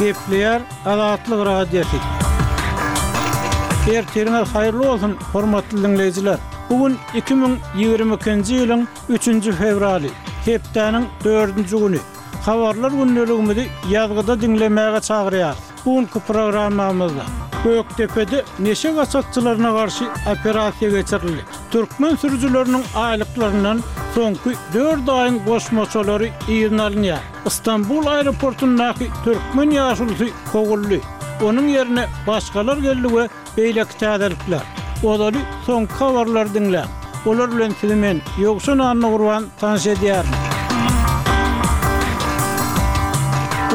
Gepleýär Azatlyk Radiosy. Ertiriňiz haýyrly bolsun, hormatly diňleýjiler! Bu gün 2022-nji ýylyň üçünji fewraly, hepdäniň dördünji güni. Habarlar gündeligimizi ýazgyda diňlemäge çagyrýarys. Bu günki programmamyzda Gökdepede neşe gaçakçylaryna garşy operasiýa geçirildi. Türkmen sürüjileriniň aýlyklaryndan soňky dört aýyň goşmaçalary yzyna alynýar. Stambul aeroportundaky türkmen ýaşulusy kowuldy. Onuň ýerine başgalar geldi we beýleki täzelikler. Ozaly soňky habarlary diňläň. Olar bilen sizi men, Ýowşan Annagurban tanyş edýärin.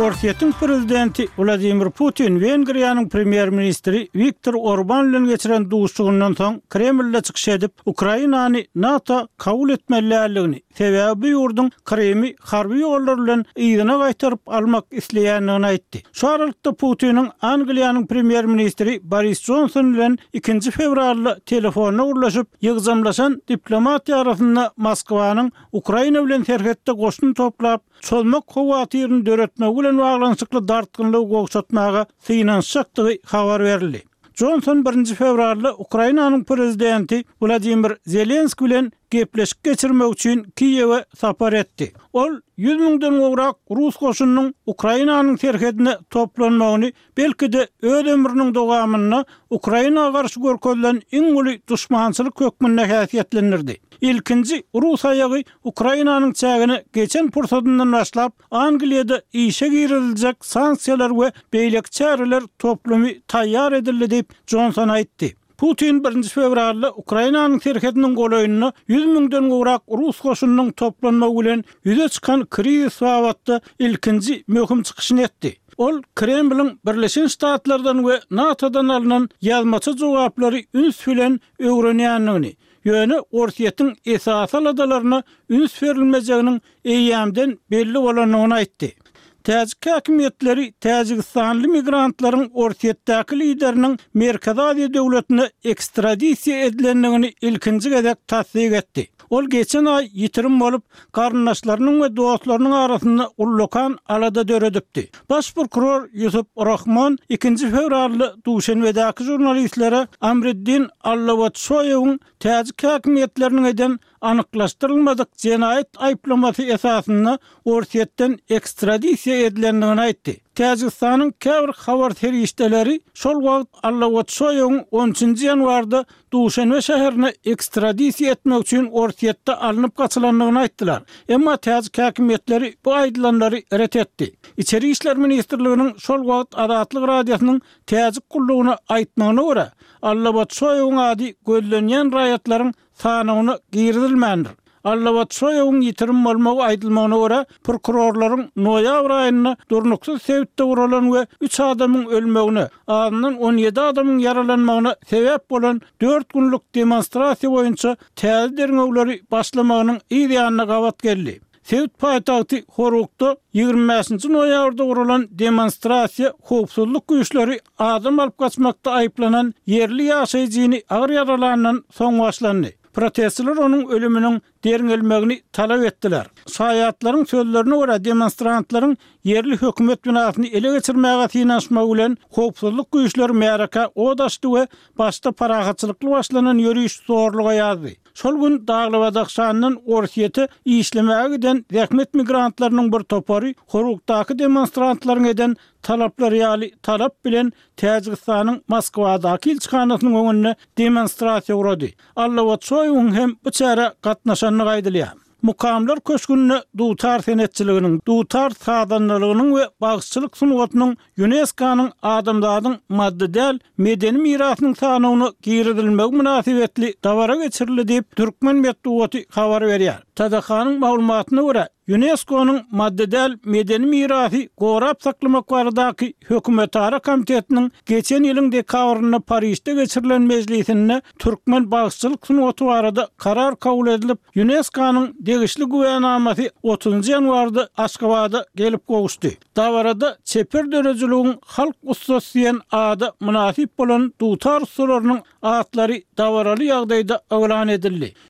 Orsýetiň prezidenti Wladimir Putin Wengriýanyň premýer-ministri Wiktor Orban bilen geçiren duşuşygyndan soň Kremlde çykyş edip, Ukrainany NATO kabul etmeli däldigini, sebäbi bu ýurduň Krymy harby ýollar bilen yzyna gaýtaryp almak isleýändigini aýtdy. Şu aralykda Putiniň Angliýanyň premýer-ministri Boris Jonson bilen ikinji fewralda telefonda gürleşip, ýygjamlaşan diplomatiýa arasynda Moskwanyň Ukraina bilen serhetde goşun toplap, çozmak howatyryny döretmegi bilen baglanyşykly dartgynlygy gowşatmaga synanyşjakdygy habar berildi. Jonson birinji fewralda Ukrainanyň prezidenti Wladimir Zelenskiý bilen gepleşik geçirmek üçin Kiýewe sapar etdi. Ol ýüz müňden gowrak rus goşunynyň Ukrainanyň serhedine toplanmagyny belki-de öz ömrüniň dowamynda Ukraina garşy görkezilen iň uly duşmançylyk hökmünde häsiýetlendirdi. Ilkinji rus aýagy Ukrainanyň çägine geçen pursadyndan başlap Angliýada işe giriziljek sanksiýalar we beýleki çäreler toplumy taýýar edildi diýip, Jonson aýtdy. Putin birinji fewralda Ukrainanyň serhediniň golaýynda ýüz müňden gowrak rus goşunynyň toplanmagy bilen ýüze çykan krizis babatda ilkinji möhüm çykyşyny etdi. Ol Kremliň Birleşen Ştatlardan we NATO-dan alnan ýazmaça jogaplary üns bilen öwrenýändigini, ýöne Orsýetiň esasy aladalaryna üns berilmejeginiň eýýämden belli bolandygyny aýtdy. Täjik häkimiýetleri täjigistanly migrantlaryň Orsýetdäki lideriniň Merkezi Aziýa döwletine ekstradisiýa edilendigini ilkinji gezek tassyk etdi. Ol geçen aý ýitirim bolup, garyndaşlarynyň we dostlarynyň arasynda ullakan alada döredipdi. Baş prokuror Ýusup Rahmon ikinji fewralda Duşenbedäki žurnalistlere Amriddin Allawatşoýewiň täjik häkimiýetleriniň eden anyklaşdyrylmadyk jenaýat aýyplamasy esasynda Orsýetden ekstradisiýa edilendigini aýtdy. Täjigistanyň käbir habar serişdeleri şol wagt Allawatşoýewiň on üçünji ýanwarda Duşenbe şäherine ekstradisiýa etmek üçin Orsýetde alnyp gaçylandygyny aýtdylar. Emma täjik häkimiýetleri bu aýdylanlary ret etdi. Içeri işler ministrliginiň şol wagt Azatlyk Radiosynyň täjik gullugyna aýtmagyna görä, Allawatşoýewiň ady gözlenýän raýatlaryň sanawyna girizilmändir. Allabatşoýewiň ýitirim bolmagy aýdylmagyna görä, prokurorlaryň noýabr aýynda durnuksyz sebitde guralan we üç adamyň ölmegine, azyndan 17 adamyň ýaralanmagyna sebäp bolan dört günlük demonstrasiýa boýunça täze derňewleri başlamagynyň yz ýanyna gabat geldi. Sebit paýtagty Horukda 25-nji noýabrda guralan demonstrasiýa howpsuzlyk güýçleri adam alyp gaçmakda aýyplanan ýerli ýaşaýjyny agyr ýaralandan soň başlandy. Protestçiler onuň ölüminiň derňelmegini talap etdiler. Şaýatlaryň sözlerine görä, demonstrantlaryň ýerli hökümet binasyny ele geçirmäge synanyşmagy bilen howpsuzlyk güýçleri märekä ot açdy we başda parahatçylykly başlanan ýöriş zorluga ýazdy. Şol gün Dagly-Badahşandan Orsýete işlemäge giden zähmet migrantlarynyň bir topary Horukdaky demonstrantlaryň eden talaplary ýaly talap bilen Täjigistanyň Moskwadaky ilçihanasynyň öňünde demonstrasiýa gurady. Allawatşoýewiň hem bu çärä gatnaşandygy aýdylýar. Mukamlar köşgünde dutar senetçiliginiň, dutar sazandalygynyň we bagşyçylyk sungatynyň Ýunesko-nyň adamzadyň maddy däl medeni mirasynyň sanawyna girizilmegi mynasybetli dabara geçirildi diýip, türkmen metbugaty habar berýär. TDH-nyň maglumatyna görä, Ýunesko-nyň maddy däl medeni mirasy gorap saklamak baradaky hökümetara komitetiniň geçen ýylyň dekabrynda Parižde geçirilen mejlisinde türkmen bagşyçylyk sungaty barada karar kabul edilip, Ýunesko-nyň degişli güwänamasy otuzynjy ýanwarda Aşgabada gelip gowuşdy. Dabarada çeper döredijiligiň halk ussasy diýen ada mynasyp bolan dutar ussalarynyň atlary dabaraly ýagdaýda yglan edildi.